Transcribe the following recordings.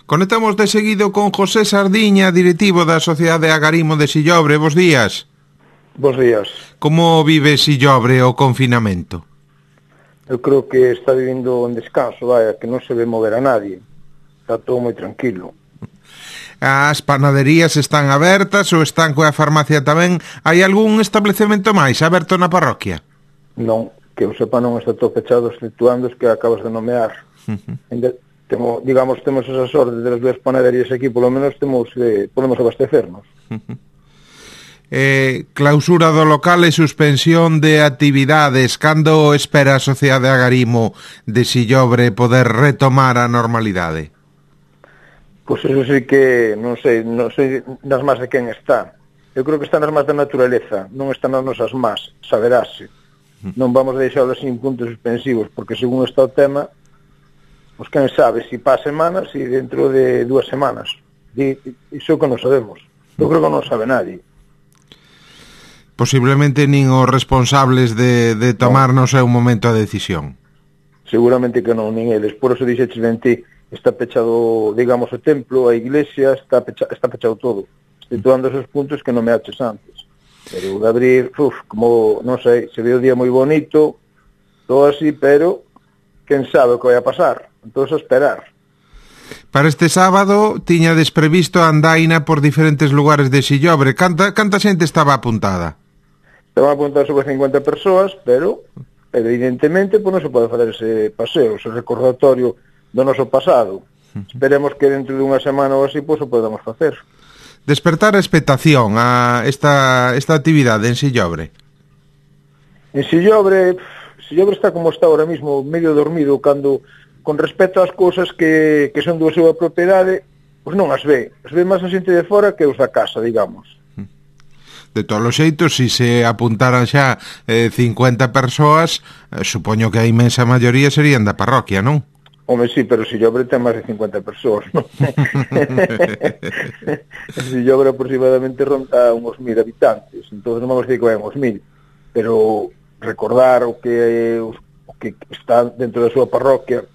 Conectamos de seguido con José Sardiña, directivo da Sociedade Agarimo de Sillobre. Bos días. Bos días. Como vive Sillobre o confinamento? Eu creo que está vivindo en descanso, vaya, que non se ve mover a nadie. Está todo moi tranquilo. As panaderías están abertas ou están coa farmacia tamén? Hai algún establecemento máis aberto na parroquia? Non, que eu sepa non está todo pechado, exceptuando os que acabas de nomear. Temos esa sorte de las dúas panaderías aquí, polo menos podemos abastecernos. Clausura do local e suspensión de actividades. Cando espera a Sociedade Agarimo de Sillobre poder retomar a normalidade? Pois eso sí que non sei nas más de quen está. Eu creo que está nas más da naturaleza, non está nas nosas más, saberase. Non vamos a deixarlo sin puntos suspensivos, porque según está o tema, pois quen sabe si para semanas e dentro de 2 semanas. Iso que non sabemos. Eu creo que non sabe nadie. Posiblemente nin os responsables de tomar no seu momento a decisión. Seguramente que non, nin eles. Por eso dixeches ben ti, está pechado, digamos, o templo, a iglesia, está pechado todo. Exceptuando esos puntos que non me haches antes. Pero de abrir, como, non sei, se ve o día moi bonito, todo así, pero quen sabe o que vai a pasar. Entón, a esperar. Para este sábado tiña desprevisto a andaina por diferentes lugares de Sillobre. Canta xente estaba apuntada? Estaban apuntadas sobre 50 persoas, pero evidentemente pues non se pode fazer ese paseo, ese recordatorio do noso pasado. Esperemos que dentro de unha semana ou así pues o podamos facer. Despertar a expectación a esta actividade en Sillobre. En Sillobre está como está ahora mismo, medio dormido, cando con respecto ás cousas que son da súa propiedade, pois non as ve máis a xente de fora que os da casa, digamos. De todos os xeitos, se se apuntaran xa 50 persoas, supoño que a inmensa maioría serían da parroquia, non? Home, sí, pero Sillobre ten máis de 50 persoas, non? Sillobre aproximadamente ronda uns 1000 habitantes, entón non vamos a decir que vai uns 1000, pero recordar o que está dentro da súa parroquia,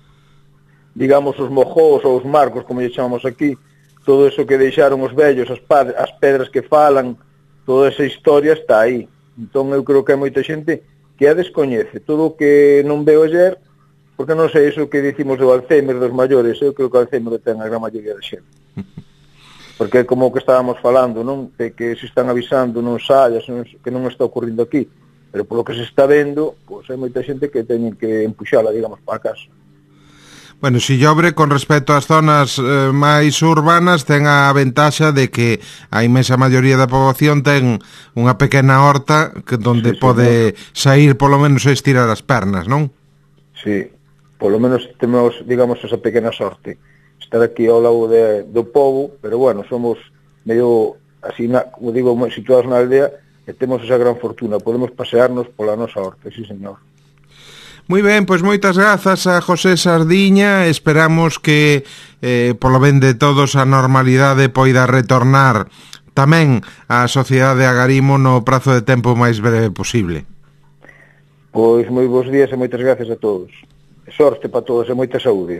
digamos, os mojós ou os marcos, como lle chamamos aquí, todo eso que deixaron os vellos, as pedras que falan, toda esa historia está aí. Entón eu creo que hai moita xente que a descoñece. Todo o que non veo ayer, porque non sei iso que dicimos do Alzheimer dos maiores, eu creo que o Alzheimer ten a gran maioría da xente. Porque é como o que estábamos falando, non? De que se están avisando, non saias, que non está ocurrindo aquí. Pero polo que se está vendo, pois hai moita xente que teñen que empuxala, digamos, para casa. Bueno, Sillobre, con respecto ás zonas máis urbanas, ten a ventaxa de que a inmensa maioría da poboación ten unha pequena horta donde pode sair polo menos a estirar as pernas, non? Sí, polo menos temos, digamos, esa pequena sorte. Estar aquí ao lado do pobo, pero bueno, somos medio, así, como digo, situados na aldea, e temos esa gran fortuna, podemos pasearnos pola nosa horta, sí, señor. Moi ben, pois moitas grazas a José Sardiña. Esperamos que polo ben de todos a normalidade poida retornar tamén á Sociedade Agarimo no prazo de tempo máis breve posible. Pois moi bons días e moitas gracias a todos. Sorte para todos e moita saúde.